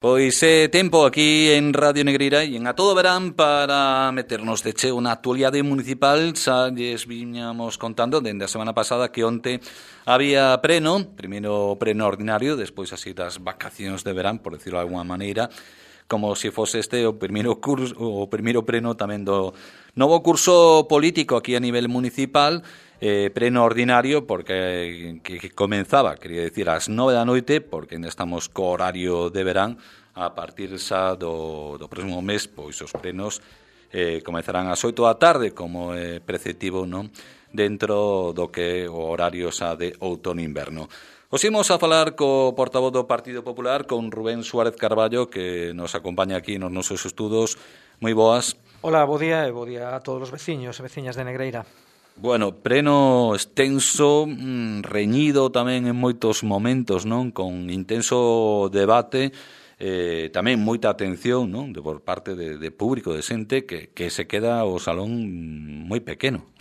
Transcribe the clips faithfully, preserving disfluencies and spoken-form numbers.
Pois é tempo aquí en Radio Negreira e en A Todo Verán para meternos de cheo na actualidade municipal. Xa lles viñamos contando dende a semana pasada que onte había preno, primeiro preno ordinario, despois así das vacacións de verán, por decirlo de alguma maneira, como se fose este o primeiro curso, o primeiro preno tamén do novo curso político aquí a nivel municipal. Eh, preno ordinario porque que, que comenzaba, quería decir, ás nove da noite, porque ainda estamos co horario de verán. A partir xa do, do próximo mes, pois os prenos eh, comezarán ás oito da tarde, como é eh, preceptivo, non? Dentro do que o horario xa de outono-inverno. Os imos a falar co portavoz do Partido Popular, con Rubén Suárez Carballo, que nos acompaña aquí nos nosos estudos. Moi boas. Hola, bo día e bo día a todos os veciños e veciñas de Negreira. Bueno, preno extenso, reñido tamén en moitos momentos, non? Con intenso debate, eh, tamén moita atención, non? De por parte de, de público, de xente que, que se queda o salón moi pequeno.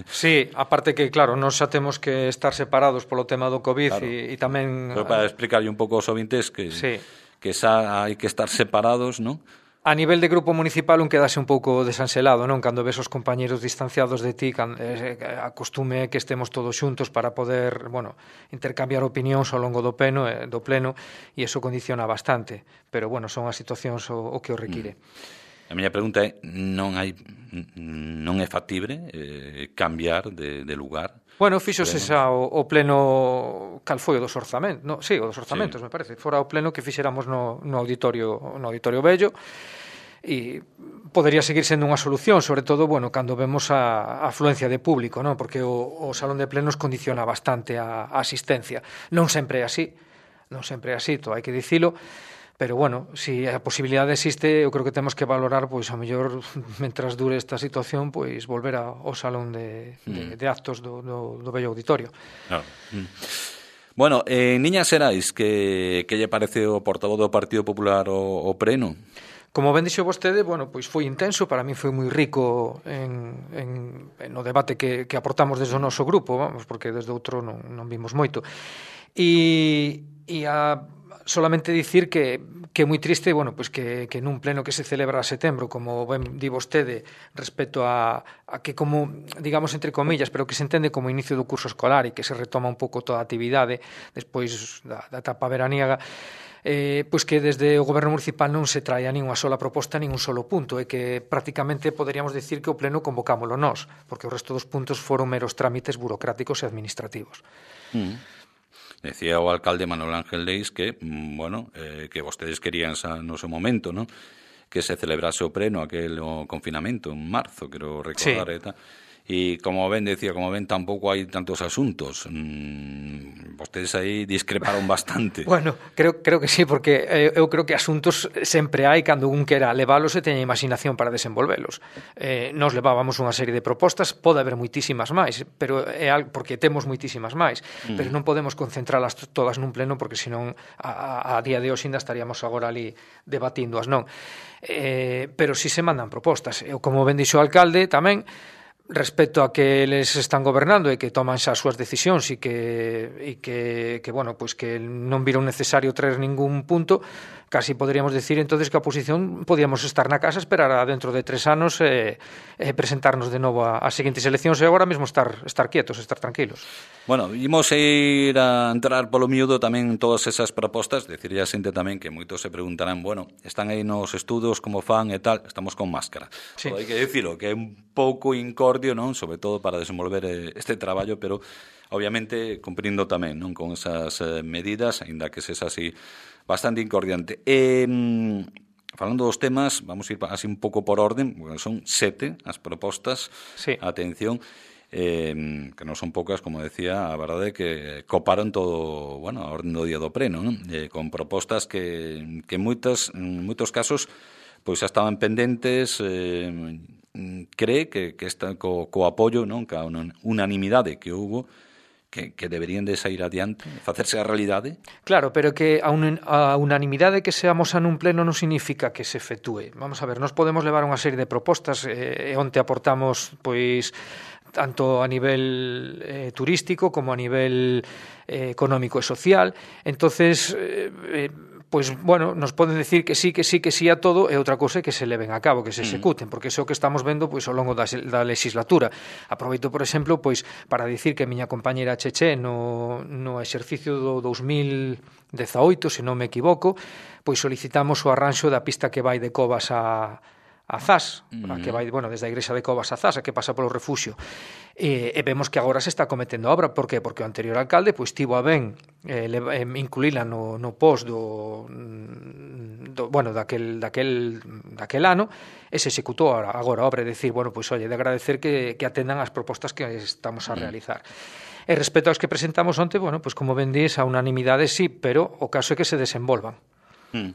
Sí, aparte que, claro, nos xa temos que estar separados polo tema do COVID, claro. e, e tamén... Pero para explicarlle un pouco aos ouvintes que, sí. que xa hai que estar separados, non? A nivel de grupo municipal un quedase un pouco desanselado, non? Cando ves os compañeros distanciados de ti, can, eh, acostume que estemos todos xuntos para poder, bueno, intercambiar opinións ao longo do pleno, eh, do pleno, e iso condiciona bastante. Pero, bueno, son as situacións o, o que o require. Mm. A miña pregunta é, non hai non é factible eh, cambiar de, de lugar? Bueno, fíxose xa o, o pleno, cal foi o dos orzamentos, no, sí, o dos orzamentos, sí. Me parece, fora o pleno que fixéramos no, no auditorio no auditorio vello, e podería seguir sendo unha solución, sobre todo, bueno, cando vemos a, a afluencia de público, non? Porque o, o salón de plenos condiciona bastante a, a asistencia. Non sempre é así, non sempre é así, todo hai que dicilo, pero, bueno, se si a posibilidade existe, eu creo que temos que valorar, pois, a mellor, mentras dure esta situación, pois, volver ao salón de, de, de actos do, do, do vello auditorio. Claro. Mm. Bueno, en eh, Niñas Xerais, que, que lle parece o portavoz do Partido Popular o, o preno? Como ben dixo vostede, bueno, pois foi intenso, para mí foi moi rico en, en, en o debate que, que aportamos desde o noso grupo, vamos, porque desde outro non, non vimos moito. E, e a solamente dicir que, que é moi triste, bueno, pois que, que nun pleno que se celebra a setembro, como ben di vostede, respecto a, a que como, digamos, entre comillas, pero que se entende como inicio do curso escolar e que se retoma un pouco toda a actividade despois da, da etapa veraniega, eh, pois que desde o Goberno Municipal non se traia nin unha sola proposta, nin un solo punto, e que prácticamente poderíamos decir que o pleno convocámolo nós, porque o resto dos puntos foron meros trámites burocráticos e administrativos. Mm. Decía o alcalde Manuel Ángel Leis que, bueno, eh, que vostedes querían xa no seu momento, ¿no? Que se celebrase o pleno, aquel o confinamento en marzo, quero recordar, sí. E tal. E como ben decía, como ben tampouco hai tantos asuntos. Mm, vostedes aí discreparon bastante. Bueno, creo creo que sí, porque eh, eu creo que asuntos sempre hai cando un quera leválos e teña imaginación para desenvolvelos. Eh, nos levábamos unha serie de propostas, pode haber moitísimas máis, pero é algo porque temos moitísimas máis, mm. pero non podemos concentralas todas nun pleno porque senón a, a, a día de hoxe ainda estaríamos agora ali debatíndoas, non? Eh, pero si se mandan propostas. Eu, como ben dixo o alcalde, tamén respecto a que eles están gobernando e que toman xa as súas decisións e que, e que, que bueno, pois que non viron necesario traer ningún punto, casi poderíamos decir entonces que a oposición podíamos estar na casa, esperar a dentro de tres anos e, e presentarnos de novo a, a seguintes eleccións e agora mesmo estar, estar quietos, estar tranquilos. Bueno, imos ir a entrar polo miúdo tamén todas esas propostas, decirlle a xente tamén que moitos se preguntarán, bueno, están aí nos estudos, como fan e tal, estamos con máscara. Sí. Hai que dicilo, que é un pouco incordio, non? Sobre todo para desenvolver este traballo, pero obviamente cumprindo tamén, non? Con esas eh, medidas, aínda que sexa así bastante incordiante. E, falando dos temas, vamos a ir así un pouco por orden, porque son sete as propostas. Sí. Atención. Eh, que non son poucas, como decía, a verdade é que coparon todo, bueno, a orden do día do pleno, non? Eh, con propostas que, que en, moitas, en moitos casos pois xa estaban pendentes, eh, cree que, que está co, co apoio, non? Ca unanimidade que houbo, que, que deberían de sair adiante, facerse a realidade. Claro, pero que a, un, a unanimidade que seamos a nun pleno non significa que se efectúe. Vamos a ver, nos podemos levar unha serie de propostas e eh, onte aportamos, pois, tanto a nivel eh, turístico como a nivel eh, económico e social. Entonces, eh, pois, bueno, nos poden decir que sí, que sí, que sí a todo, e outra cousa é que se leven a cabo, que se executen, porque iso que estamos vendo pois ao longo da, da legislatura. Aproveito, por exemplo, pois para dicir que a miña compañeira Cheche no, no exercicio do dous mil dezaoito, se non me equivoco, pois solicitamos o arranxo da pista que vai de Covas a a Zas, uh-huh. a que vai, bueno, desde a igrexa de Covas a Zas, a que pasa polo refuxio. E, e vemos que agora se está cometendo a obra. Por que? Porque o anterior alcalde pois tivo a ben eh, eh, incluíla no, no post do, do bueno, daquel, daquel, daquel ano, e se executou agora, agora a obra, é dicir, bueno, pois, oye, de agradecer que, que atendan as propostas que estamos a realizar. Uh-huh. E respecto aos que presentamos onte, bueno, pois como ben dís, a unanimidade sí, pero o caso é que se desenvolvan. Uh-huh.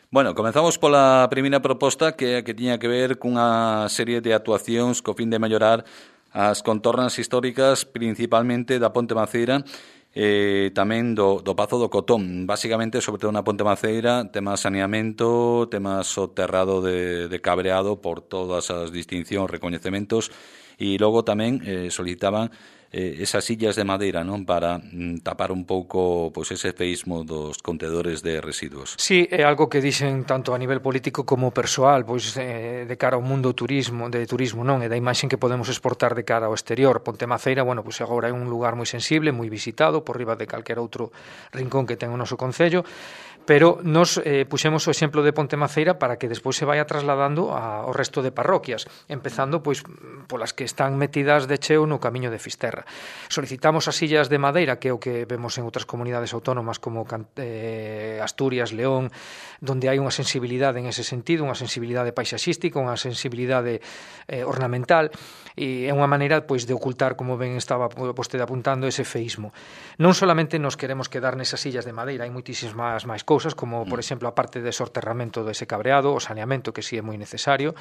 Bueno, comenzamos pola primeira proposta que que tiña que ver cunha serie de actuacións co fin de mellorar as contornas históricas, principalmente da Ponte Maceira e tamén do, do Pazo do Cotón. Básicamente, sobre todo na Ponte Maceira, temas saneamento, temas soterrado de, de cabreado por todas as distincións, recoñecementos, e logo tamén eh, solicitaban eh, esas sillas de madeira, non, para mm, tapar un pouco pois ese feísmo dos contedores de residuos. Sí, é algo que dixen tanto a nivel político como persoal, pois eh, de cara ao mundo turismo, de turismo, non, e da imaxen que podemos exportar de cara ao exterior. Ponte Maceira, bueno, pois agora é un lugar moi sensible, moi visitado, por riba de calquera outro rincón que ten o noso concello, pero nos eh, puxemos o exemplo de Ponte Maceira para que despois se vaya trasladando ao resto de parroquias, empezando pois polas que están metidas de cheo no camiño de Fisterra. Solicitamos as sillas de madeira, que é o que vemos en outras comunidades autónomas como eh, Asturias, León, donde hai unha sensibilidade en ese sentido, unha sensibilidade paisaxística, unha sensibilidade eh, ornamental, e é unha maneira pois de ocultar, como ben estaba vostede apuntando, ese feísmo. Non solamente nos queremos quedar nesas sillas de madeira, hai moitísimas máis cousas, como, por exemplo, a parte de sorterramento dese cabreado, o saneamento, que si sí é moi necesario,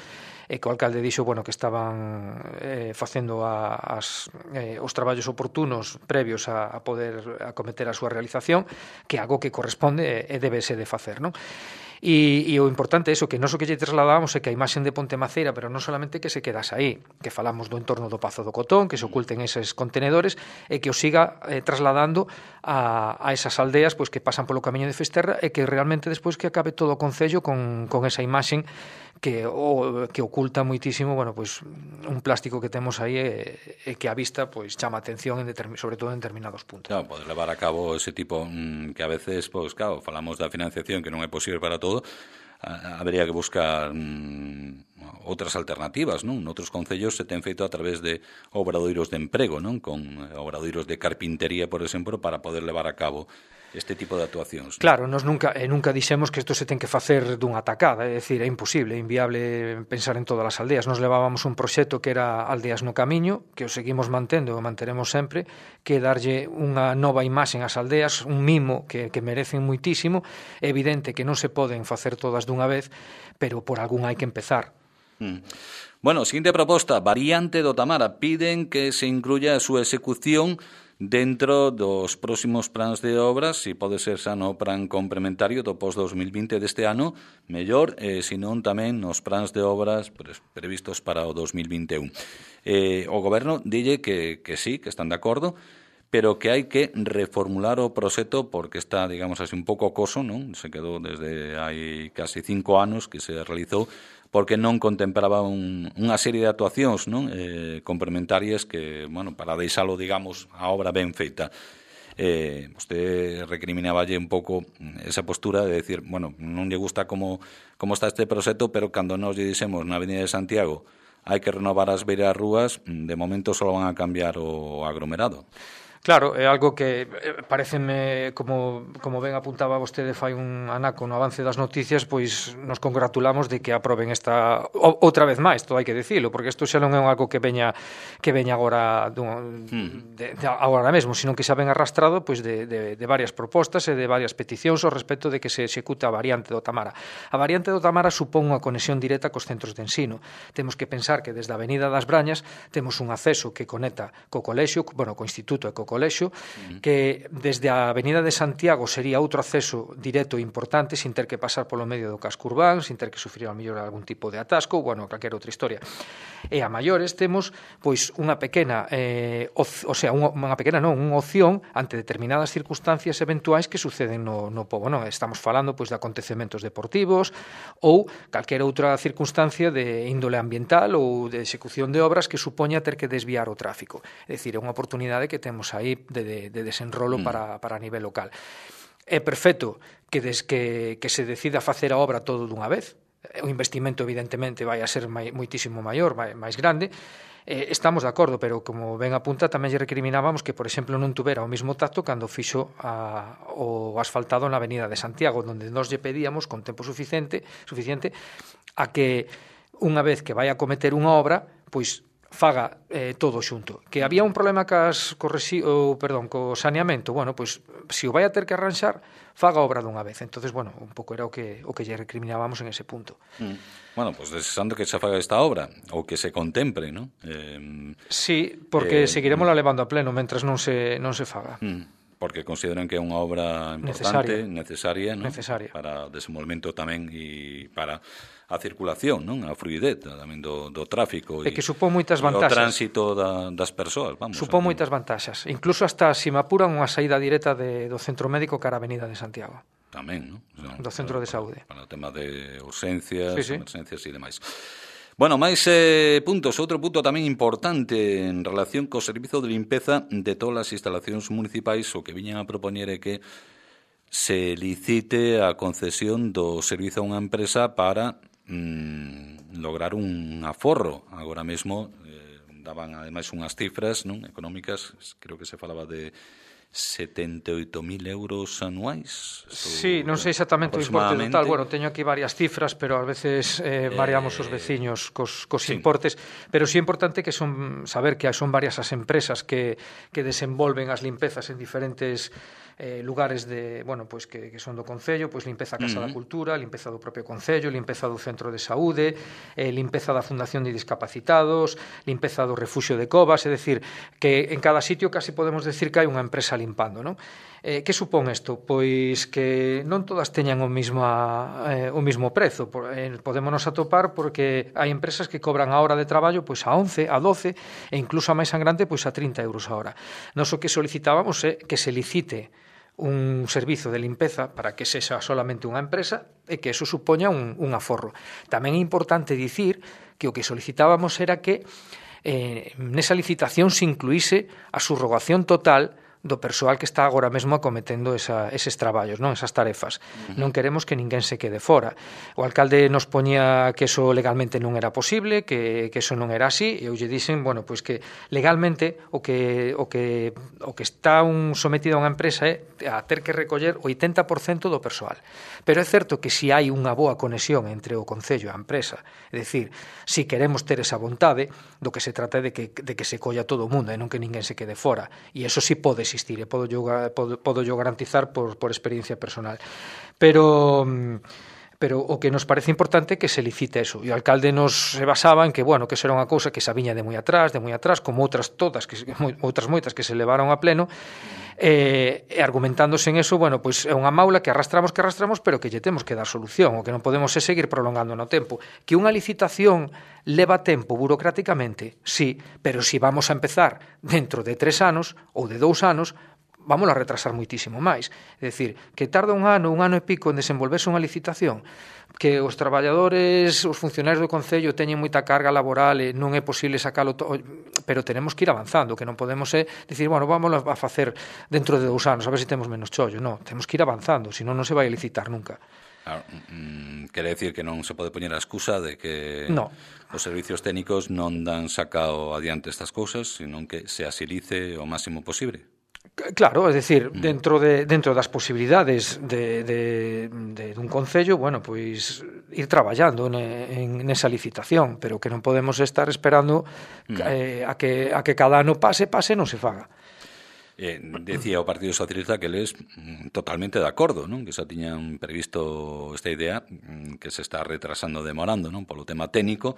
e que o alcalde dixo, bueno, que estaban eh, facendo a, as, eh, os traballos oportunos previos a, a poder acometer a súa realización, que é algo que corresponde e débese de facer, non? E, e o importante é iso, que non o que lle trasladamos é que a imaxen de Ponte Maceira, pero non solamente que se quedase aí, que falamos do entorno do Pazo do Cotón, que se oculten eses contenedores, e que o siga eh, trasladando a, a esas aldeas pois que pasan polo camiño de Fisterra, e que realmente despois que acabe todo o concello con, con esa imaxen que o, que oculta moitísimo, bueno, pois un plástico que temos aí e, e que a vista pois chama atención en determin, sobre todo en determinados puntos. Claro, poder levar a cabo ese tipo mmm, que a veces, pois claro, falamos da financiación que non é posible para todo, a, habería que buscar mmm, outras alternativas, non? Noutros concellos se ten feito a través de obradoiros de emprego, non? Con obradoiros de carpintería, por exemplo, para poder levar a cabo este tipo de actuacións. Claro, nos nunca e nunca dixemos que isto se ten que facer dunha tacada, é dicir, é imposible, é inviable pensar en todas as aldeas. Nos levábamos un proxecto que era Aldeas no Camiño, que o seguimos mantendo e o manteremos sempre, que darlle unha nova imaxen ás aldeas, un mimo que, que merecen moitísimo. É evidente que non se poden facer todas dunha vez, pero por algún hai que empezar. Mm. Bueno, seguinte proposta, variante do Tamara. Piden que se incluya a súa execución dentro dos próximos plans de obras, se pode ser xa no plan complementario do post dos mil vinte deste ano, mellor, e se non tamén nos plans de obras previstos para o dos mil vinte e un. Eh, o goberno dille que, que sí, que están de acordo, pero que hai que reformular o proxecto porque está, digamos así, un pouco acoso, non? Se quedou desde hai casi cinco anos que se realizou, porque non contemplaba un, unha serie de actuacións, non? Eh, complementarias que, bueno, para deixalo, digamos, a obra ben feita. Eh, vostede recriminaballe un pouco esa postura de decir, bueno, non lle gusta como, como está este proxecto, pero cando nos lle dixemos na Avenida de Santiago hai que renovar as beiras rúas, de momento só van a cambiar o aglomerado. Claro, é algo que pareceme, como, como ben apuntaba vostede fai un anaco no avance das noticias, pois nos congratulamos de que aproben esta outra vez máis, todo hai que dicilo, porque isto xa non é algo que veña que veña agora dun, hmm. de, de, agora mesmo, sino que xa ven arrastrado pois de, de, de varias propostas e de varias peticións ao respecto de que se execute a variante do Tamara. A variante do Tamara supón unha conexión directa cos centros de ensino. Temos que pensar que desde a Avenida das Brañas temos un acceso que conecta co colexio, bueno, co instituto e co colexio, uh-huh. que desde a Avenida de Santiago sería outro acceso directo importante, sin ter que pasar polo medio do casco urbán, sin ter que sufrir ao mellor algún tipo de atasco, bueno, calquera outra historia. E a maiores temos pois unha pequena, eh, o, o sea, unha, unha pequena non, unha opción ante determinadas circunstancias eventuais que suceden no, no pobo, non? Estamos falando pois de acontecementos deportivos ou calquera outra circunstancia de índole ambiental ou de execución de obras que supoña ter que desviar o tráfico. É dicir, é unha oportunidade que temos aí de, de, de desenrolo mm. para, para a nivel local. É perfecto que, des, que, que se decida facer a obra todo dunha vez. O investimento, evidentemente, vai a ser mai, moitísimo maior, mai, máis grande. Eh, estamos de acordo, pero como ben apunta, tamén lle recriminábamos que, por exemplo, non tuvera o mismo tacto cando fixo a, o asfaltado na Avenida de Santiago, onde nós lle pedíamos con tempo suficiente, suficiente a que, unha vez que vai a cometer unha obra, pois faga eh, todo xunto. Que había un problema cas, co, resi, o, perdón, co saneamento, bueno, pois, se o vai a ter que arranxar, faga obra dunha vez. Entonces, bueno, un pouco era o que o que lle recriminábamos en ese punto. Mm. Bueno, pois pues, desexando que se faga esta obra, ou que se contemple, ¿no? Eh, sí, porque eh, seguiremos la levando a pleno mentras non se, non se faga. Mm. Porque consideran que é unha obra importante, necesaria, ¿no? Necesaria. Para o desenvolvemento tamén e para a circulación, non? A fluidez tamén do, do tráfico e, e que supón moitas vantaxes. O tránsito da, das persoas, vamos. Supón moitas vantaxes. Incluso hasta se me apuran unha saída directa de, do centro médico cara a Avenida de Santiago. Tamén, non? O sea, do centro para, de saúde. Para, para o tema de urxencias, sí, sí. emerxencias e demais. Bueno, máis eh, puntos. Outro punto tamén importante en relación co servizo de limpeza de todas as instalacións municipais, o que viñan a propoñer é que se licite a concesión do servizo a unha empresa para mm, lograr un aforro. Agora mesmo eh, daban ademais unhas cifras, non, económicas, creo que se falaba de setenta e oito mil euros anuais. Sí, non sei exactamente o importe total. Bueno, teño aquí varias cifras, pero ás veces eh, variamos eh, os veciños cos, cos sí. importes, pero sí é importante que son saber que son varias as empresas que, que desenvolven as limpezas en diferentes eh, lugares de, bueno, pois que, que son do Concello, pois limpeza a Casa uh-huh. da Cultura, limpeza do propio Concello, limpeza do Centro de Saúde, eh, limpeza da Fundación de Discapacitados, limpeza do Refuxio de Covas, é dicir, que en cada sitio casi podemos decir que hai unha empresa limpando, non? Eh, que supón isto? Pois que non todas teñan o mismo, eh, o mismo prezo. Eh, podémonos atopar porque hai empresas que cobran a hora de traballo pois a once, a doce e incluso a máis sangrante pois a trinta euros a hora. Nos o que solicitábamos é que se licite un servizo de limpeza para que sexa solamente unha empresa e que eso supoña un, un aforro. Tamén é importante dicir que o que solicitábamos era que eh, nesa licitación se incluíse a subrogación total do persoal que está agora mesmo acometendo esa, eses traballos, non, esas tarefas. Uh-huh. Non queremos que ninguén se quede fora. O alcalde nos poñía que eso legalmente non era posible, que, que eso non era así, e eu lle dixen, bueno, pois que legalmente o que o que o que está un sometido a unha empresa é a ter que recoller o oitenta por cento do persoal. Pero é certo que se hai unha boa conexión entre o Concello e a empresa, é dicir, se queremos ter esa vontade, do que se trata é de que, de que se colla todo o mundo e non que ninguén se quede fora. E eso sí pode existir, e podo yo, podo, podo yo garantizar por, por experiencia personal. Pero... pero o que nos parece importante é que se licite eso. E o alcalde nos se basaba en que, bueno, que eso era unha cousa que se viña de moi atrás, de moi atrás, como outras todas, que outras moitas que se levaron a pleno, e, e argumentándose en eso, bueno, pois é unha maula que arrastramos, que arrastramos, pero que lle temos que dar solución, o que non podemos é seguir prolongando no tempo. Que unha licitación leva tempo burocráticamente, sí, pero se si vamos a empezar dentro de tres anos ou de dous anos, vamos a retrasar moitísimo máis. É dicir, que tarda un ano, un ano e pico en desenvolverse unha licitación, que os traballadores, os funcionarios do Concello teñen moita carga laboral e non é posible sacalo todo, pero tenemos que ir avanzando, que non podemos é dicir, bueno, vamos a facer dentro de dous anos, a ver se temos menos chollo. Non, temos que ir avanzando, senón non se vai a licitar nunca. Claro, mm, quere decir que non se pode poñer a excusa de que no. os servicios técnicos non dan sacao adiante estas cousas, senón que se asilice o máximo posible. Claro, é dicir, dentro de dentro das posibilidades de, de, de dun concello, bueno, pois ir traballando ne, en nesa licitación, pero que non podemos estar esperando eh, a que a que cada ano pase, pase, non se faga. Eh, decía o Partido Socialista que eles totalmente de acordo, non? Que xa tiñan previsto esta idea que se está retrasando, demorando, non? Polo tema técnico,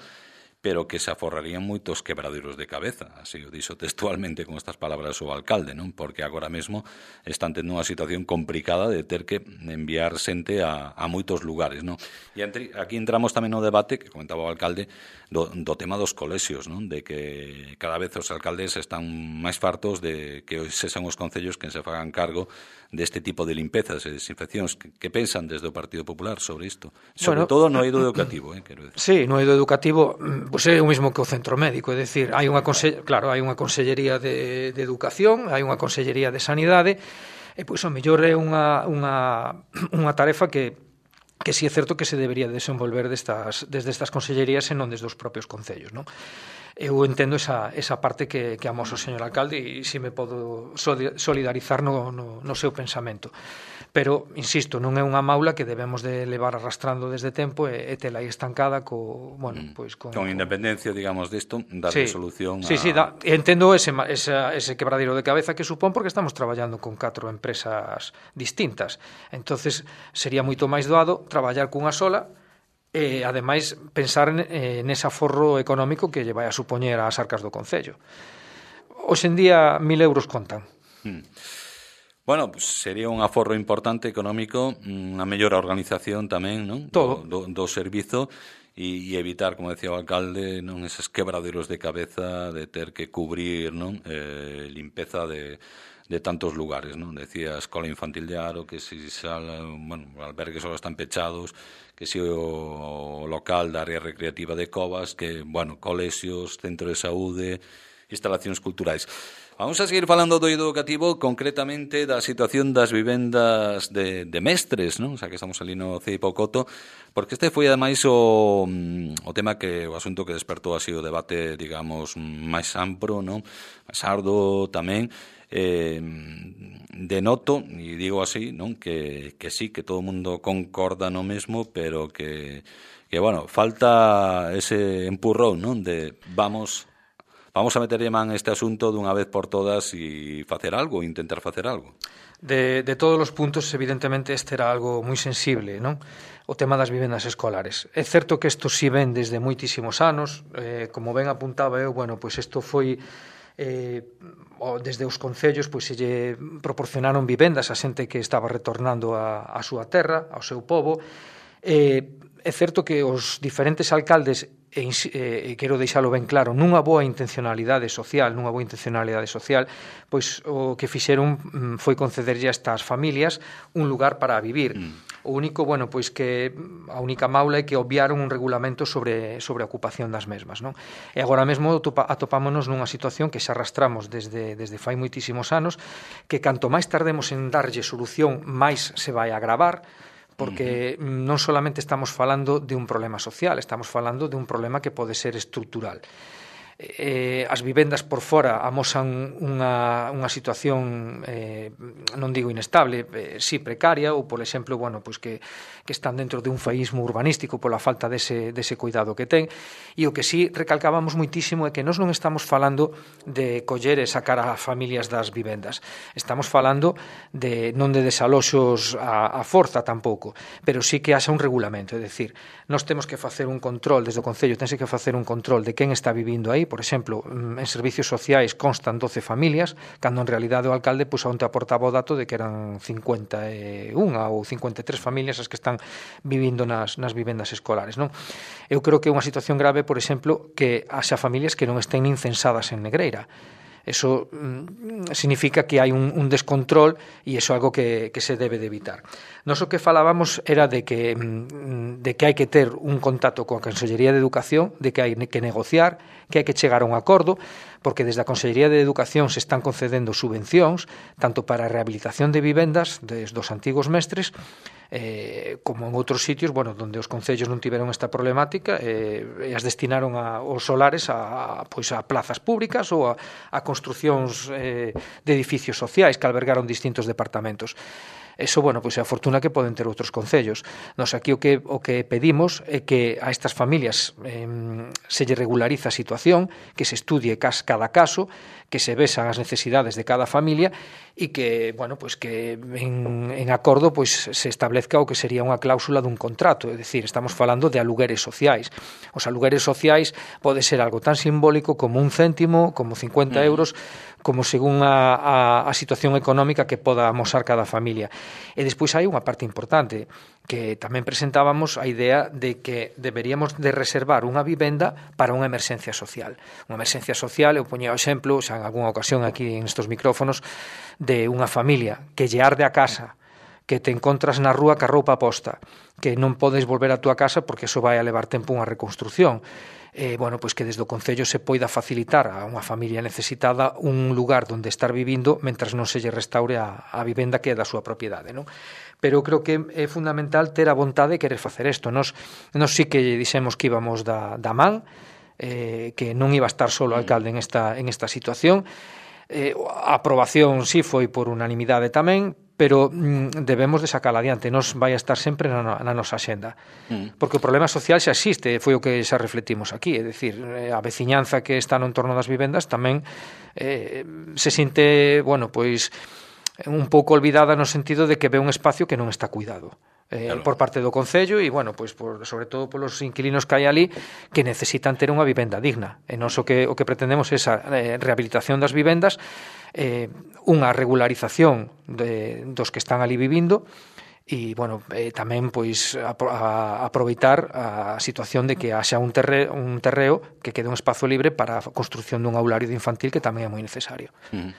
pero que se aforrarían moitos quebraderos de cabeza, así o dixo textualmente con estas palabras o alcalde, non? Porque agora mesmo están tendo unha situación complicada de ter que enviar xente a, a moitos lugares, non? E entre, aquí entramos tamén no debate que comentaba o alcalde do, do tema dos colexios, non? De que cada vez os alcaldes están máis fartos de que sexan os concellos quen se fagan cargo deste tipo de limpezas e desinfeccións. Que, que pensan desde o Partido Popular sobre isto? Sobre bueno, todo no eido educativo, eh, quero decir. Sí, no eido educativo pois é o mesmo que o centro médico, é dicir, hai unha conse... claro, hai unha consellería de, de educación, hai unha consellería de sanidade, e pois o mellor é unha, unha, unha tarefa que que si é certo que se debería desenvolver destas, desde estas consellerías e non desde os propios concellos, non? Eu entendo esa, esa parte que, que amosa o señor alcalde e si me podo solidarizar no, no, no seu pensamento. Pero, insisto, non é unha maula que debemos de levar arrastrando desde tempo e, e tela aí estancada co, bueno, pois con, con independencia, digamos, disto, darle sí, solución a... Sí, sí, da, entendo ese, ese, ese quebradero de cabeza que supón porque estamos traballando con catro empresas distintas. Entonces sería moito máis doado traballar cunha sola e, ademais, pensar en, en ese aforro económico que lle vai a supoñer ás arcas do Concello. Hoxe en día, mil euros contan. Hmm. Bueno, pues sería un aforro importante económico, unha mellor organización tamén, non? Todo. Do, do, do servizo e, e evitar, como decía o alcalde, non eses quebraderos de cabeza de ter que cubrir, non? Eh, limpeza de, de tantos lugares, non? Decía a Escola Infantil de Aro que si sala, bueno, albergues só están pechados, que si o, o local da área recreativa de Covas, que, bueno, colexios, centro de saúde, instalacións culturais. Vamos a seguir falando do eido educativo, concretamente da situación das vivendas de, de mestres, non? O sea, que estamos ali no C I P O Coto, porque este foi ademais o, o tema que o asunto que despertou así o debate, digamos, máis amplo, non? Máis ardo tamén. Eh, denoto, e digo así, non? Que, que sí, que todo o mundo concorda no mesmo, pero que, que bueno, falta ese empurrón, non? De vamos... Vamos a meterlle man este asunto dunha vez por todas e facer algo, intentar facer algo. De, de todos os puntos, evidentemente, este era algo moi sensible, non? O tema das vivendas escolares. É certo que isto si ven desde moitísimos anos, eh, como ben apuntaba eu, bueno, pois isto foi eh, desde os concellos, pois se lle proporcionaron vivendas a xente que estaba retornando a, a súa terra, ao seu pobo. Eh, é certo que os diferentes alcaldes e, e quero deixalo ben claro, nunha boa intencionalidade social, nunha boa intencionalidade social, pois o que fixeron foi concederlle a estas familias un lugar para vivir. Mm. O único, bueno, pois que a única maula é que obviaron un regulamento sobre sobre a ocupación das mesmas, non? E agora mesmo atopámonos nunha situación que xa arrastramos desde desde fai moitísimos anos, que canto máis tardemos en darlle solución, máis se vai agravar, porque non solamente estamos falando de un problema social, estamos falando de un problema que pode ser estrutural. Eh, as vivendas por fora amosan unha, unha situación eh, non digo inestable, eh, si precaria, ou por exemplo, bueno, pois que, que están dentro de un faísmo urbanístico pola falta dese, dese cuidado que ten, e o que si recalcábamos moitísimo é que nós non estamos falando de coller e sacar a familias das vivendas, estamos falando de non de desaloxos a, a forza tampouco, pero sí que haxa un regulamento, é dicir, nós temos que facer un control desde o Concello, tense que facer un control de quen está vivindo aí. Por exemplo, en servicios sociais constan doce familias, cando en realidade o alcalde pois onte aportaba o dato de que eran cincuenta e unha ou cincuenta e tres familias as que están vivindo nas, nas vivendas escolares, non? Eu creo que é unha situación grave, por exemplo, que haxa familias que non estén nin censadas en Negreira. Eso mm, significa que hai un, un descontrol e iso é algo que, que se debe de evitar. Nos o que falábamos era de que, mm, de que hai que ter un contacto coa Consellería de Educación, de que hai que negociar, que hai que chegar a un acordo, porque desde a Consellería de Educación se están concedendo subvencións, tanto para a rehabilitación de vivendas des dos antigos mestres, eh, como en outros sitios, bueno, onde os concellos non tiveron esta problemática eh, e as destinaron a, os solares a, a, pois a plazas públicas ou a, a construcións eh, de edificios sociais que albergaron distintos departamentos. Eso, bueno, pois é a fortuna que poden ter outros concellos. Nos aquí o que o que pedimos é que a estas familias eh, se lle regulariza a situación, que se estudie cada caso, que se vesan as necesidades de cada familia e que, bueno, pois que en, en acordo pois se establezca o que sería unha cláusula dun contrato, é dicir, estamos falando de alugueres sociais. Os alugueres sociais pode ser algo tan simbólico como un céntimo, como cincuenta euros, como según a, a, a situación económica que poda amosar cada familia. E despois hai unha parte importante que tamén presentábamos a idea de que deberíamos de reservar unha vivenda para unha emerxencia social. Unha emerxencia social, eu poñía o exemplo, xa en algunha ocasión aquí en estos micrófonos, de unha familia que lle arde a casa, que te encontras na rúa ca roupa posta, que non podes volver a túa casa porque eso vai a levar tempo unha reconstrucción. Eh, bueno, pois que desde o Concello se poida facilitar a unha familia necesitada un lugar onde estar vivindo mentras non se lle restaure a, a vivenda que é da súa propiedade, non? Pero eu creo que é fundamental ter a vontade de querer facer isto. Nos, nos sí que dixemos que íbamos da, da man, eh, que non iba a estar solo o alcalde en esta, en esta situación. Eh, a aprobación sí foi por unanimidade tamén, pero mm, debemos de sacar adiante, nos vai a estar sempre na, na nosa axenda. Mm. Porque o problema social xa existe, foi o que xa refletimos aquí, é dicir, a veciñanza que está no entorno das vivendas tamén eh, se sinte, bueno, pois un pouco olvidada no sentido de que ve un espacio que non está cuidado. Eh, claro. Por parte do Concello e, bueno, pois por, sobre todo polos inquilinos que hai ali que necesitan ter unha vivenda digna. E nós o que, o que pretendemos é esa eh, rehabilitación das vivendas, eh, unha regularización de, dos que están ali vivindo e, bueno, eh, tamén pois a, a, aproveitar a situación de que haxa un, terre, un terreo que quede un espazo libre para a construción dun aulario de infantil que tamén é moi necesario. Uh-huh.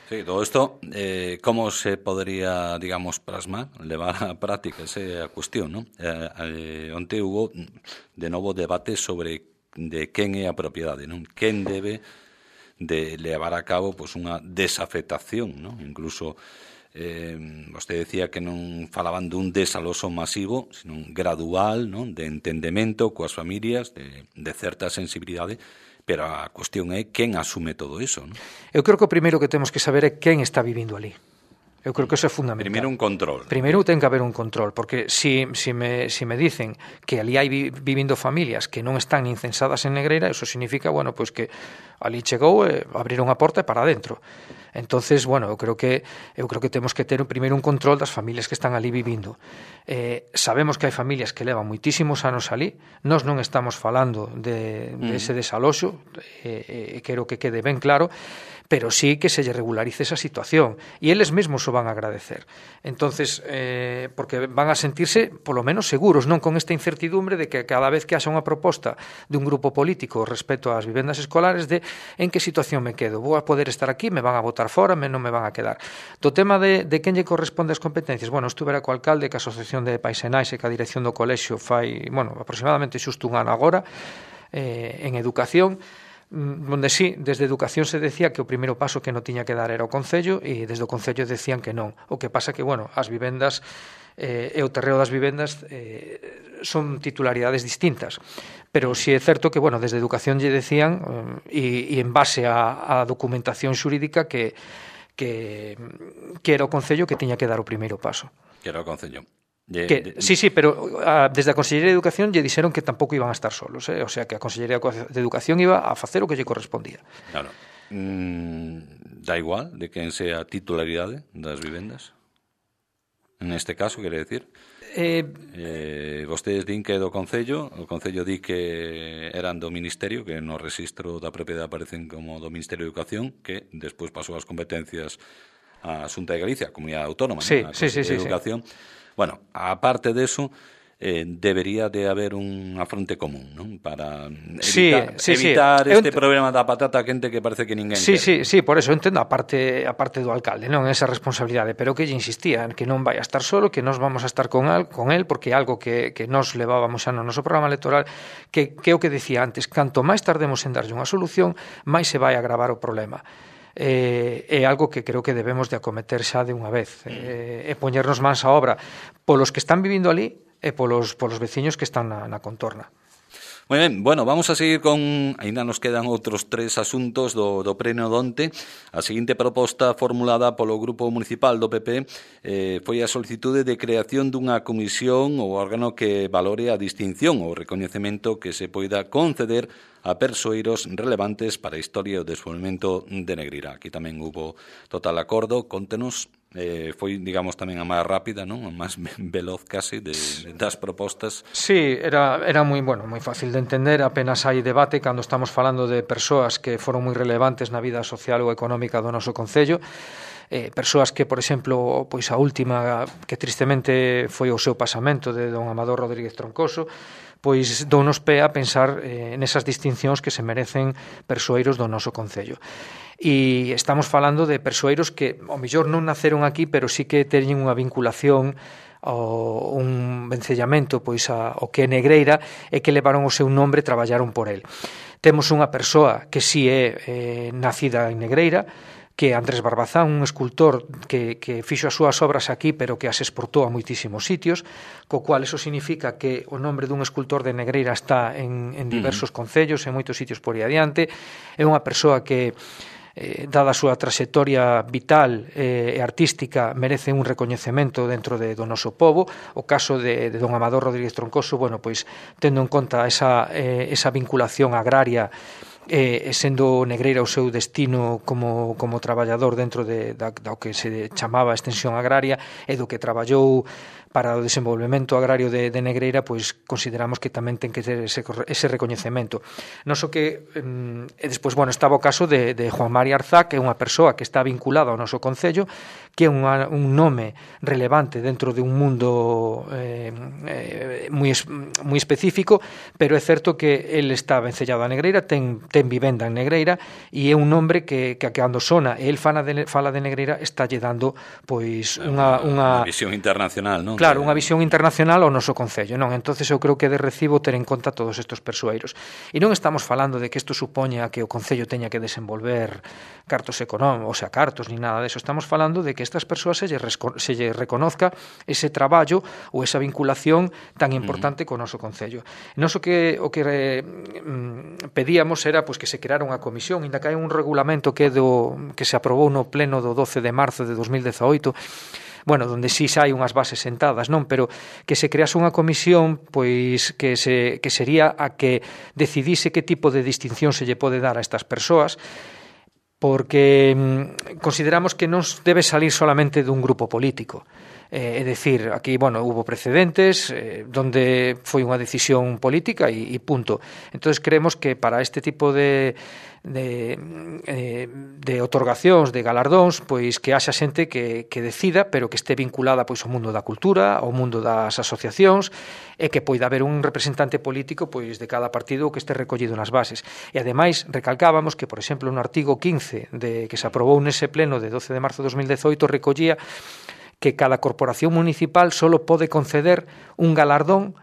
Sí, todo isto, eh, como se podría, digamos, plasmar, levar á práctica, esa é a cuestión, non? Eh, eh, onte hubo, de novo, debate sobre de quen é a propiedade, non? Quen debe de levar a cabo pois, unha desafectación, non? Incluso, eh, vostede decía que non falaban dun desaloso masivo, sino un gradual, non? De entendemento coas familias, de, de certa sensibilidade, pero a cuestión é quen asume todo iso, non? Eu creo que o primeiro que temos que saber é quen está vivindo ali. Eu creo que eso é fundamental. Primeiro un control. Primeiro ten que haber un control, porque si, si, me, si me dicen que ali hai vi, vivindo familias que non están nin censadas en Negreira, eso significa, bueno, pois que ali chegou e abriron a porta e para adentro. Entonces, bueno, eu creo que eu creo que temos que ter primeiro un control das familias que están ali vivindo. Eh, sabemos que hai familias que levan moitísimos anos ali. Nós non estamos falando de, de ese desaloxo, e eh, eh, quero que quede ben claro, pero sí que se lle regularice esa situación e eles mesmos o van a agradecer. Entonces, eh, porque van a sentirse polo menos seguros, non con esta incertidumbre de que cada vez que haxa unha proposta de un grupo político respecto ás vivendas escolares de en que situación me quedo, vou a poder estar aquí, me van a botar fora, me non me van a quedar. Do tema de, de quen lle corresponde as competencias, bueno, estuvera co alcalde, que a Asociación de Pais e Nais e que a dirección do colexio fai, bueno, aproximadamente xusto un ano agora, eh, en educación, onde sí, desde Educación se decía que o primeiro paso que non tiña que dar era o Concello e desde o Concello decían que non. O que pasa que, bueno, as vivendas eh, e o terreo das vivendas eh, son titularidades distintas. Pero si é certo que, bueno, desde Educación lle decían eh, e, e en base á documentación xurídica que, que, que era o Concello que tiña que dar o primeiro paso. Que era o Concello. De, que, de... Sí, sí, pero a, desde a Consellería de Educación lle dixeron que tampouco iban a estar solos, eh? O sea, que a Consellería de Educación iba a facer o que lle correspondía. Claro. Mm, da igual de quen sea a titularidade das vivendas? En este caso, quere decir? Eh, eh, vostedes din que é do Concello, o Concello di que eran do Ministerio, que no registro da propiedade aparecen como do Ministerio de Educación, que despois pasou as competencias á Xunta de Galicia, a Comunidade Autónoma, sí, ¿no? A sí, sí, de sí, Educación. Sí. Bueno, aparte de eso, eh, debería de haber unha fronte común, non? Para evitar, sí, sí, evitar sí. este ent... problema da patata quente que parece que ninguén sí, quere. Sí, sí, por eso entendo a parte, a parte do alcalde, non esa responsabilidade, pero que lle insistía que non vai a estar solo, que nós vamos a estar con, al, con el, porque é algo que, que nós levábamos xa no noso programa electoral, que, que é o que decía antes, canto máis tardemos en darlle unha solución, máis se vai a agravar o problema. Eh, é algo que creo que debemos de acometer xa de unha vez, eh, e poñernos mans á obra polos que están vivindo ali e polos, polos veciños que están na, na contorna. Moi ben, bueno, vamos a seguir con... Ainda nos quedan outros tres asuntos do, do pleno donte. A seguinte proposta formulada polo Grupo Municipal do P P eh, foi a solicitude de creación dunha comisión ou órgano que valore a distinción ou recoñecemento que se poida conceder a persoeiros relevantes para a historia e o desenvolvemento de Negreira. Aquí tamén hubo total acordo. Contenos, eh, foi, digamos, tamén a máis rápida, non? A máis veloz casi de, de, das propostas. Sí, era, era moi, bueno, moi fácil de entender, apenas hai debate cando estamos falando de persoas que foron moi relevantes na vida social ou económica do noso concello. Eh, persoas que, por exemplo, pois a última que tristemente foi o seu pasamento de don Amador Rodríguez Troncoso, pois dounos pé a pensar eh, nesas distincións que se merecen persoeiros do noso concello. E estamos falando de persoeiros que, ao mellor, non naceron aquí, pero sí que teñen unha vinculación ao un vencellamento pois a, o que é Negreira e que levaron o seu nombre e traballaron por el. Temos unha persoa que si é eh, nacida en Negreira, que é Andrés Barbazán, un escultor que, que fixo as súas obras aquí, pero que as exportou a moitísimos sitios, co cual eso significa que o nombre dun escultor de Negreira está en, en diversos concellos, en moitos sitios por aí adiante. É unha persoa que, eh, dada a súa trayectoria vital e eh, artística, merece un recoñecemento dentro de, do noso pobo. O caso de, de don Amador Rodríguez Troncoso, bueno, pois tendo en conta esa, eh, esa vinculación agraria e sendo Negreira o seu destino como, como traballador dentro de, da, da o que se chamaba extensión agraria e do que traballou para o desenvolvemento agrario de, de Negreira, pois consideramos que tamén ten que ter ese, ese recoñecemento. Non só que, e despois, bueno, estaba o caso de, de Juan Mari Arzá, que é unha persoa que está vinculada ao noso concello, que é unha, un nome relevante dentro de un mundo eh, eh, moi, moi específico, pero é certo que ele está vencellado a Negreira, ten, ten vivenda en Negreira, e é un nombre que, que cando sona e el fala de, fala de Negreira, está lle dando pois unha, unha, unha visión internacional, non? Claro, unha visión internacional ao noso concello, non? Entonces eu creo que é de recibo ter en conta todos estes persoeiros. E non estamos falando de que isto supoña que o concello teña que desenvolver cartos económicos, o sea, cartos, ni nada deso. Estamos falando de que estas persoas se lle, se lle reconozca ese traballo ou esa vinculación tan importante co noso concello. Nos o que o que eh, pedíamos era pois que se creara unha comisión, ainda que hai un regulamento que do que se aprobou no pleno do doce de marzo de dos mil dezaoito, bueno, donde sí hai unhas bases sentadas, non, pero que se crease unha comisión pois que se que sería a que decidise que tipo de distinción se lle pode dar a estas persoas, porque mm, consideramos que non debe salir solamente dun grupo político. Eh, é dicir, aquí, bueno, hubo precedentes eh, donde foi unha decisión política e, e punto. Entonces creemos que para este tipo de de, eh, de otorgacións, de galardóns, pois que haxa xente que, que decida, pero que este vinculada pois ao mundo da cultura, ao mundo das asociacións, e que poida haber un representante político pois de cada partido que este recollido nas bases. E ademais recalcábamos que, por exemplo, no artigo quince de que se aprobou nese pleno de doce de marzo de dos mil dezoito recollía que cada corporación municipal só pode conceder un galardón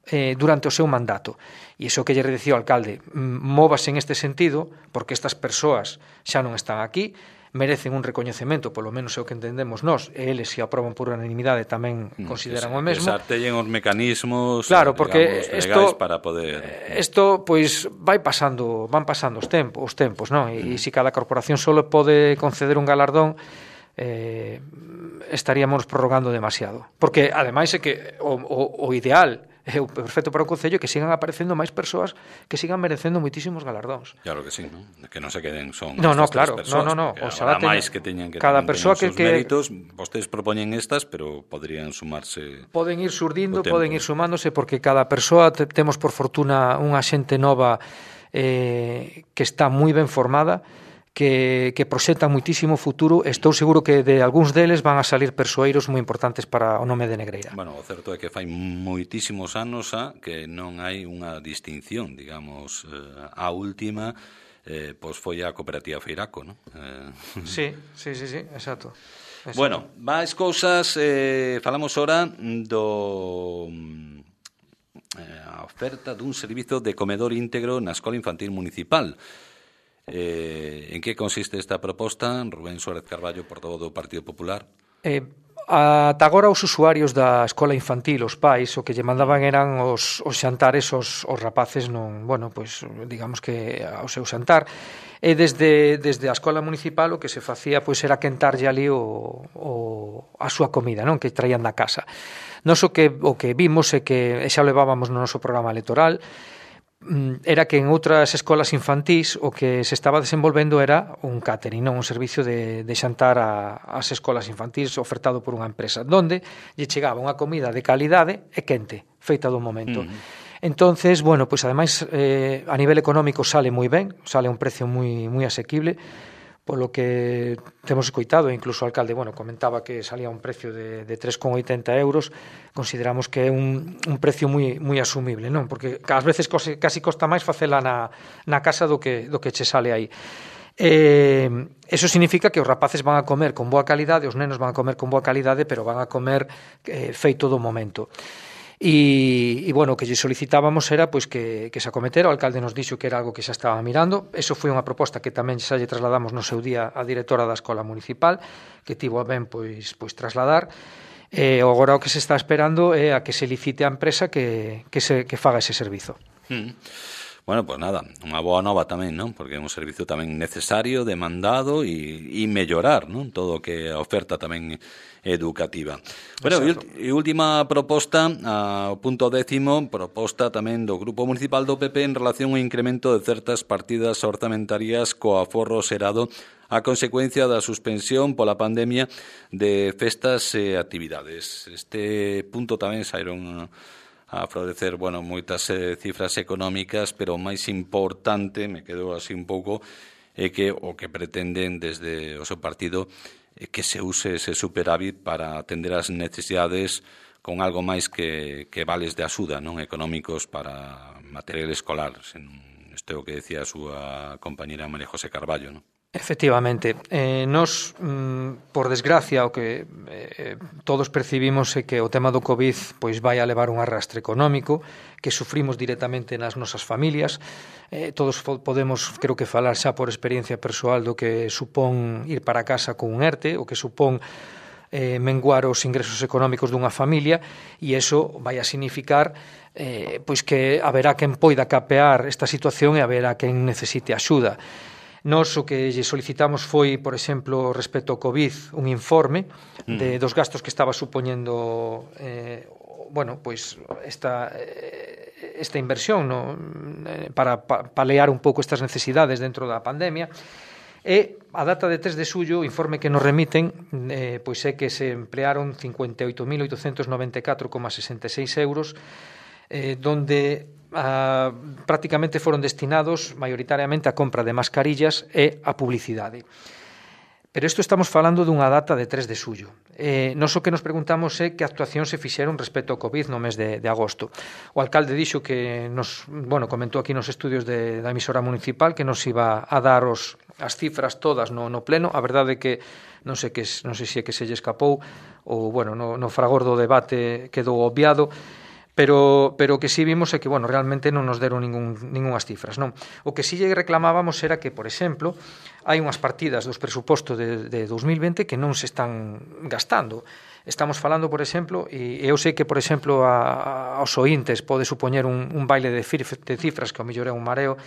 eh, durante o seu mandato. E iso que lle dicía o alcalde, móvase en este sentido, porque estas persoas xa non están aquí, merecen un recoñecemento, polo menos é o que entendemos nós, e eles, se aproban por unanimidade, tamén consideran que, o mesmo. Que se artellen os mecanismos, claro, porque digamos, esto, legais para poder... Isto, pois, vai pasando, van pasando os tempos, os tempos, non? E, mm. e se cada corporación só pode conceder un galardón, eh, estaríamos prorrogando demasiado. Porque, ademais, é que o, o, o ideal é o perfecto para o concello que sigan aparecendo máis persoas que sigan merecendo moitísimos galardóns. Claro que sí, ¿no? Que non se queden son no, no, claro, persoas, no, no, no, oxalá máis que teñan que cada persoa que, que méritos, vostedes propoñen estas, pero podrían sumarse. Poden ir surdindo, poden ir sumándose, porque cada persoa te, temos por fortuna unha xente nova eh, que está moi ben formada, que, que proxecta moitísimo futuro. Estou seguro que de algúns deles van a salir persoeiros moi importantes para o nome de Negreira. Bueno, o certo é que fai moitísimos anos a que non hai unha distinción, digamos, eh, a última eh, pois foi a cooperativa Feiraco, non? Eh... Sí, sí, sí, sí, exacto. exacto. Bueno, máis cousas, eh, falamos ora do eh, a oferta dun servizo de comedor íntegro na Escola Infantil Municipal. Eh, en que consiste esta proposta? Rubén Suárez Carballo, portavoz do Partido Popular. Eh, ata agora os usuarios da escola infantil, os pais, o que lle mandaban eran os, os xantares aos, os rapaces non, bueno, pois digamos que ao seu xantar, e desde, desde a escola municipal o que se facía pois era quentarlle ali o, o, a súa comida, non, que traían da casa. Nos o que, o que vimos é que, e xa o levábamos no noso programa electoral, era que en outras escolas infantís o que se estaba desenvolvendo era un catering, non un servicio de, de xantar a, as escolas infantís ofertado por unha empresa, donde lle chegaba unha comida de calidade e quente, feita do momento. Uh-huh. Entonces, bueno, pois ademais eh, a nivel económico sale moi ben, sale a un precio moi moi asequible, polo que temos escoitado, incluso o alcalde, bueno, comentaba que salía un precio de, de tres con oitenta euros, consideramos que é un, un precio moi moi asumible, non? Porque ás veces cose, casi costa máis facela na, na casa do que, do que che sale aí. Eh, eso significa que os rapaces van a comer con boa calidade, os nenos van a comer con boa calidade, pero van a comer eh, feito do momento. E, e bueno, o que lle solicitábamos era pois que, que se acometera, o alcalde nos dixo que era algo que xa estaba mirando. Eso foi unha proposta que tamén xa lle trasladamos no seu día á directora da escola municipal, que tivo a ben pois, pois trasladar. E agora o que se está esperando é a que se licite a empresa que, que, se, que faga ese servizo. Mm. Bueno, pues nada, unha boa nova tamén, non? Porque é un servizo tamén necesario, demandado e, e mellorar, non? Todo o que a oferta tamén educativa. Bueno, e última proposta, ao punto décimo, proposta tamén do Grupo Municipal do P P en relación ao incremento de certas partidas orzamentarias co aforro xerado a consecuencia da suspensión pola pandemia de festas e actividades. Este punto tamén saíron a florecer, bueno, moitas eh, cifras económicas, pero o máis importante, me quedou así un pouco, é que o que pretenden desde o seu partido é que se use ese superávit para atender as necesidades con algo máis que, que vales de axuda, non, económicos para material escolar. Isto é o que decía a súa compañera María José Carballo, non? Efectivamente, eh, nos, mm, por desgracia, o que eh, todos percibimos é que o tema do COVID pois vai a levar un arrastre económico que sufrimos directamente nas nosas familias. Eh, todos podemos, creo que, falar xa por experiencia persoal do que supón ir para casa con un ERTE, o que supón eh, menguar os ingresos económicos dunha familia, e iso vai a significar eh, pois que haberá quen poida capear esta situación e haberá quen necesite axuda. Nos o que lle solicitamos foi, por exemplo, respecto ao COVID, un informe de, dos gastos que estaba supoñendo eh, bueno, pois esta, esta inversión, no, para palear un pouco estas necesidades dentro da pandemia. E a data de tres de xullo, o informe que nos remiten eh, pois é que se emplearon cincuenta e oito mil oitocentos noventa e catro coma sesenta e seis euros, eh, donde Uh, prácticamente foron destinados maioritariamente a compra de mascarillas e a publicidade. Pero isto estamos falando dunha data de tres de xullo. Eh, nos o que nos preguntamos é que actuación se fixeron respecto ao COVID no mes de, de agosto. O alcalde dixo que nos, bueno, comentou aquí nos estudios de, da emisora municipal que nos iba a dar os, as cifras todas no, no pleno. A verdade é que non sei, que, non sei se é que se lle escapou ou, bueno, no, no fragor do debate quedou obviado. Pero, pero o que sí vimos é que, bueno, realmente non nos deron ningún, ningunhas cifras, non? O que sí lle reclamábamos era que, por exemplo, hai unhas partidas dos presupostos de, de dos mil vinte que non se están gastando. Estamos falando, por exemplo, e eu sei que, por exemplo, a, aos ointes pode supoñer un, un baile de, de cifras que ao mellor é un mareo,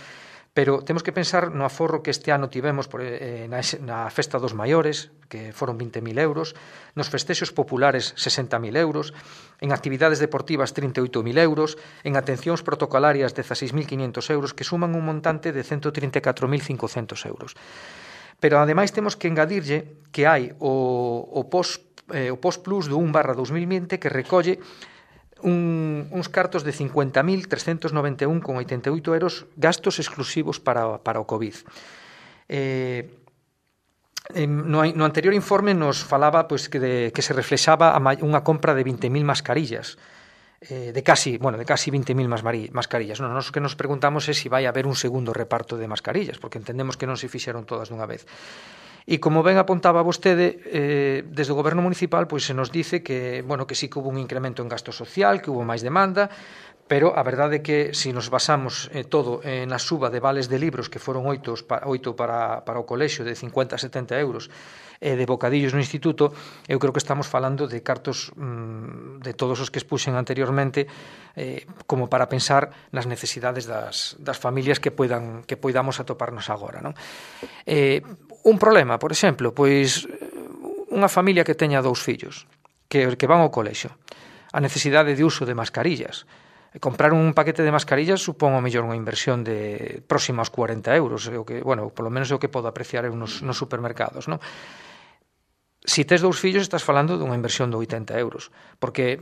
pero temos que pensar no aforro que este ano tivemos por, eh, na, na Festa dos Maiores, que foron vinte mil euros, nos festexos populares sesenta mil euros, en actividades deportivas trinta e oito mil euros, en atencións protocolarias dezaseis mil quinhentos euros, que suman un montante de ciento trinta e catro mil cincocentos euros. Pero ademais temos que engadirlle que hai o, o POS, eh, o POS Plus do un barra dos mil vinte que recolle Un, uns cartos de cincuenta mil trescentos noventa e un con oitenta e oito euros gastos exclusivos para, para o COVID. Eh, no, no anterior informe nos falaba pois, que, de, que se reflexaba a unha compra de vinte mil mascarillas, eh, de casi, bueno, de casi vinte mil mascarillas. Non, nos que nos preguntamos é se vai haber un segundo reparto de mascarillas, porque entendemos que non se fixeron todas dunha vez. E como ben apuntaba vostede, eh, desde o Goberno Municipal pois se nos dice que, bueno, que sí que hubo un incremento en gasto social, que hubo máis demanda, Pero a verdade é que se nos basamos eh, todo eh, na suba de vales de libros que foron oito, oito para, para o colexio de cincuenta a setenta euros e eh, de bocadillos no instituto, eu creo que estamos falando de cartos mmm, de todos os que expuxen anteriormente eh, como para pensar nas necesidades das, das familias que poidan, que poidamos atoparnos agora, non? Eh, un problema, por exemplo, pois unha familia que teña dous fillos que, que van ao colexio, a necesidade de uso de mascarillas. Comprar un paquete de mascarillas supón ao mellor unha inversión de próxima aos cuarenta euros, o que, bueno, polo menos é o que podo apreciar eu nos, nos supermercados, non? Si tes dous fillos estás falando dunha inversión de oitenta euros, porque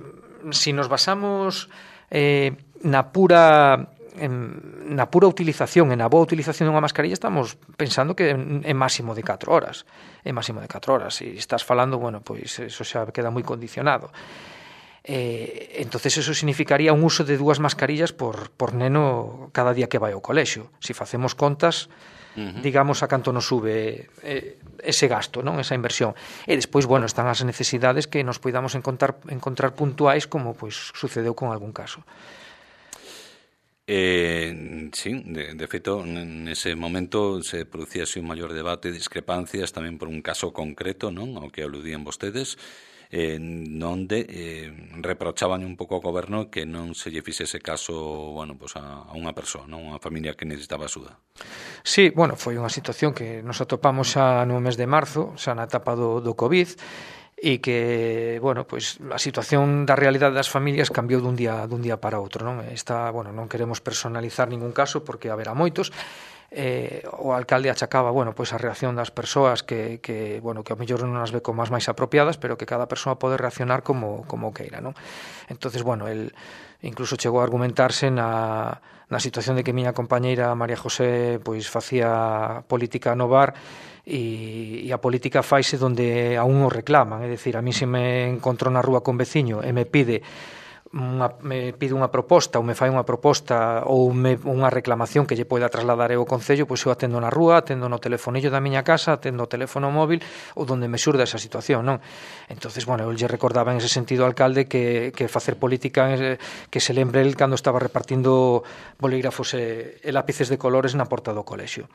se nos basamos eh, na pura en, na pura utilización, en a boa utilización dunha mascarilla, estamos pensando que é máximo de catro horas, é máximo de catro horas, e estás falando, bueno, pois eso xa queda moi condicionado. Eh, entonces eso significaría un uso de dúas mascarillas por, por neno cada día que vai ao colexio. Se facemos contas, uh-huh. digamos a canto nos sube eh, ese gasto, non, esa inversión. E despois, bueno, están as necesidades que nos poidamos encontrar, encontrar puntuais, como pois sucedeu con algún caso. Eh, sí, de, de feito, nese momento se producíase un maior debate, discrepancias tamén por un caso concreto, non, ao que aludían vostedes, eh, onde eh, reprochaban un pouco ao goberno que non se lle fixese caso, bueno, pues a, a unha persoa, non, unha familia que necesitaba axuda. Sí, bueno, foi unha situación que nos atopamos xa no mes de marzo, xa na etapa do, do COVID, e que, bueno, pois a situación da realidade das familias cambiou dun día dun día para outro, non? Esta, bueno, non queremos personalizar ningún caso porque haberá moitos. Eh, o alcalde achacaba, bueno, pois a reacción das persoas que, que, bueno, que ao mellor non as ve como as máis apropiadas, pero que cada persoa pode reaccionar como, como queira, non? Entonces, bueno, el incluso chegou a argumentarse na, na situación de que miña compañeira María José pois facía política no bar e, e a política faise donde a un o reclaman, é dicir, a mí se me encontro na rúa con veciño e me pide Unha, me pide unha proposta ou me fai unha proposta ou me, unha reclamación que lle poida trasladar eu ao Concello, pois eu atendo na rúa, atendo no telefonillo da miña casa, atendo o teléfono móvil ou donde me xurda esa situación, non? Entonces, bueno, eu lle recordaba en ese sentido ao alcalde que, que facer política, que se lembre el cando estaba repartindo bolígrafos e, e lápices de colores na porta do colexio.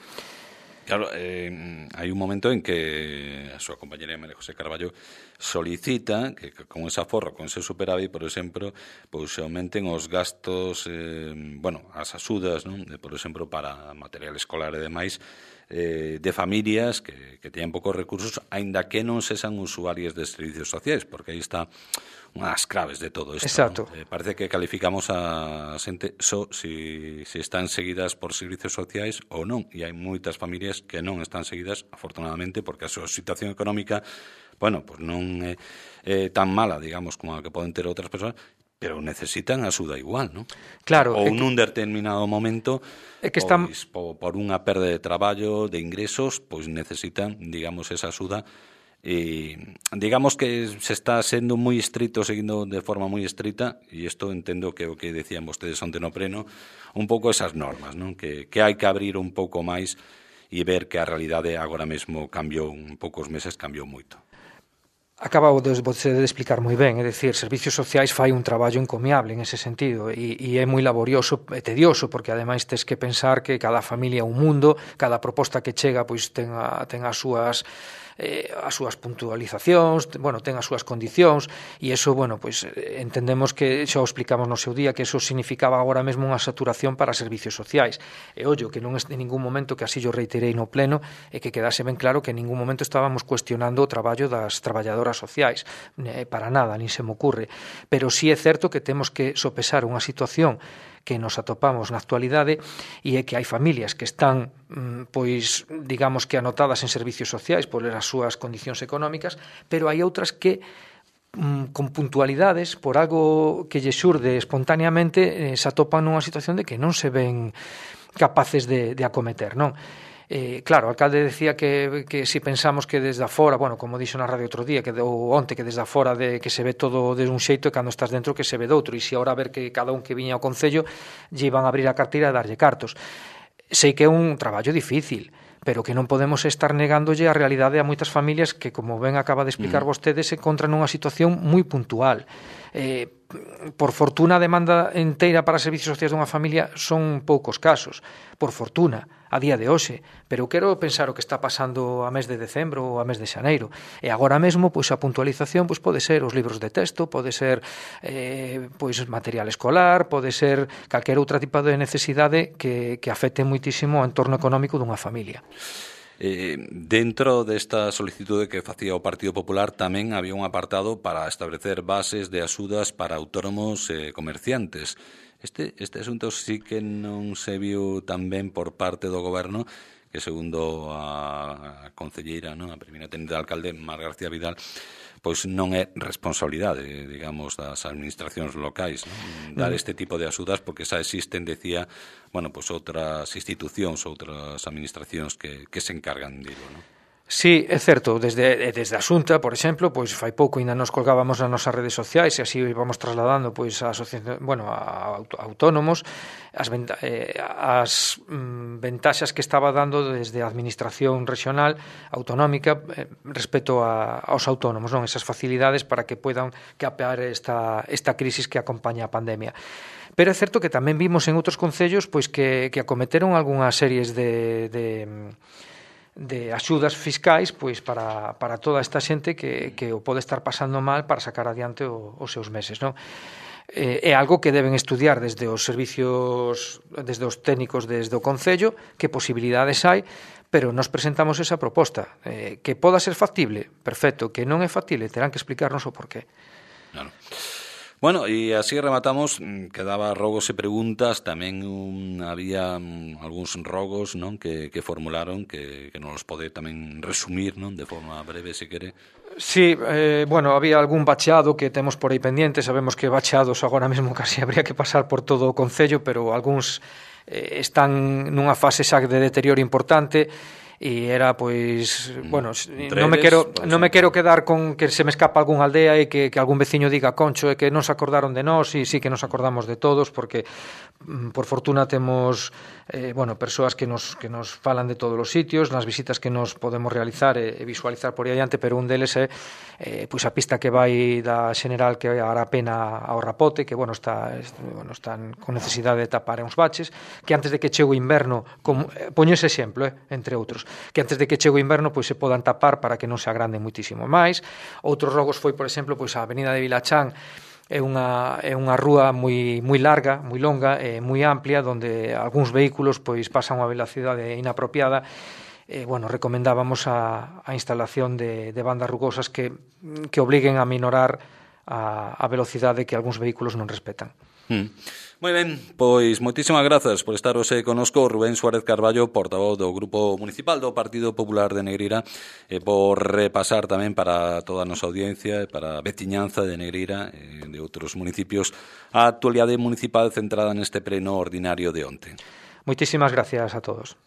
Claro, eh, hai un momento en que a súa compañera María José Carballo solicita que con ese aforro, con ese superávit, por exemplo, pois se aumenten os gastos, eh, bueno, as axudas, non? De, por exemplo, para material escolar e demais, eh, de familias que, que teñen poucos recursos, aínda que non sexan usuarias de servicios sociais, porque aí está unhas claves de todo isto. Exacto. ¿No? Eh, parece que calificamos a xente só si, si están seguidas por servicios sociais ou non, e hai moitas familias que non están seguidas, afortunadamente, porque a súa situación económica, bueno, pues non é eh, tan mala, digamos, como a que poden ter outras persoas, pero necesitan axuda igual, ¿no? Claro. Ou nun determinado momento, é que están... pois, por, por unha perda de traballo, de ingresos, pois necesitan, digamos, esa axuda. E digamos que se está sendo moi estrito, seguindo de forma moi estrita, e isto entendo que o que decían vostedes onte no pleno, un pouco esas normas, non? Que, que hai que abrir un pouco máis e ver que a realidade agora mesmo cambiou, en poucos meses cambiou moito. Acabou de, de explicar moi ben, é dicir, Servicios Sociais fai un traballo encomiable en ese sentido e, e é moi laborioso e tedioso porque ademais tes que pensar que cada familia é un mundo, cada proposta que chega pois ten, a, ten as súas eh, as súas puntualizacións, bueno, ten as súas condicións e eso, bueno, pois entendemos que xa o explicamos no seu día que eso significaba agora mesmo unha saturación para servicios sociais. E ollo, que non é en ningún momento, que así yo reiterei no pleno, e que quedase ben claro que en ningún momento estábamos cuestionando o traballo das traballadoras sociais, eh, para nada, nin se me ocurre, pero sí é certo que temos que sopesar unha situación que nos atopamos na actualidade e é que hai familias que están pois, digamos que anotadas en servicios sociais por as súas condicións económicas, pero hai outras que con puntualidades, por algo que lle xurde espontáneamente, eh, se atopan nunha situación de que non se ven capaces de, de acometer, non? Eh, claro, o alcalde decía que, que si pensamos que desde afora, bueno, como dixo na radio outro día, que ou onte, que desde afora de, que se ve todo de un xeito e cando estás dentro que se ve doutro, e se agora ver que cada un que viña ao Concello lle iban a abrir a carteira e darlle cartos. Sei que é un traballo difícil, pero que non podemos estar negándolle a realidade a moitas familias que, como ben acaba de explicar mm. vostede, se encontran nunha situación moi puntual. Eh, por fortuna a demanda enteira para servicios sociais dunha familia son poucos casos, por fortuna, a día de hoxe, pero eu quero pensar o que está pasando a mes de decembro ou a mes de xaneiro, e agora mesmo pois a puntualización pois pode ser os libros de texto, pode ser eh, pois material escolar, pode ser calquera outra tipo de necesidade que, que afecte muitísimo o entorno económico dunha familia. Eh, dentro desta solicitude que facía o Partido Popular tamén había un apartado para establecer bases de axudas para autónomos e comerciantes. Este, este asunto sí que non se viu tan ben por parte do Goberno, que segundo a, a concelleira, non, a primeira tenente de alcalde, Mar García Vidal, pois non é responsabilidade, digamos, das administracións locais, non? Dar este tipo de axudas, porque xa existen, decía, bueno, pois outras institucións, outras administracións que, que se encargan dilo, non? Sí, é certo, desde, desde a Xunta, por exemplo, pois fai pouco ainda nos colgábamos nas nosas redes sociais e así vamos trasladando pois a asociación, bueno, a autónomos as, venta, eh, as mm, ventaxas que estaba dando desde a administración regional autonómica eh, respecto a, aos autónomos, non, esas facilidades para que poidan capear esta, esta crisis que acompaña a pandemia. Pero é certo que tamén vimos en outros concellos pois que, que acometeron algunhas series de, de de axudas fiscais pois para, para toda esta xente que, que o pode estar pasando mal para sacar adiante o, os seus meses, non? Eh, é algo que deben estudiar desde os servicios, desde os técnicos, desde o Concello, que posibilidades hai, pero nos presentamos esa proposta. Eh, que poda ser factible, perfecto, que non é factible, terán que explicarnos o porqué. Claro. Bueno, e así rematamos, quedaba rogos e preguntas, tamén un, había um, algúns rogos, non, que, que formularon, que, que nos pode tamén resumir, non, de forma breve, se quere. Sí, eh, bueno, había algún bacheado que temos por aí pendiente, sabemos que bacheados agora mesmo casi habría que pasar por todo o Concello, pero algúns eh, están nunha fase xa de deterioro importante, e era pois, bueno, non me quero non me quero quedar con que se me escapa algún aldea e que, que algún veciño diga concho e que non se acordaron de nós, e sí que nos acordamos de todos, porque por fortuna temos eh, bueno, persoas que nos, que nos falan de todos os sitios, nas visitas que nos podemos realizar e, e visualizar por aí adiante, pero un deles é eh, pois a pista que vai da Xeneral que vai a Arapena ao Rapote, que bueno, está, bueno, están con necesidade de tapar uns baches, que antes de que chegue o inverno, como, eh, poño ese exemplo, eh, entre outros, que antes de que chegue o inverno pois se podan tapar para que non se agranden muitísimo máis. Outros rogos foi, por exemplo, pois a Avenida de Vilachán é unha, é unha rúa moi, moi larga, moi longa e moi amplia, onde algúns vehículos pois pasan a unha velocidade inapropiada. E, bueno, recomendábamos a, a instalación de, de bandas rugosas que, que obliguen a minorar a, a velocidade que algúns vehículos non respetan. Mm. Moi ben, pois moitísimas grazas por estar hoxe conosco, Rubén Suárez Carballo, portavoz do Grupo Municipal do Partido Popular de Negreira, e por repasar tamén para toda a nosa audiencia e para a veciñanza de Negreira e de outros municipios a actualidade municipal centrada neste pleno ordinario de onte. Moitísimas gracias a todos.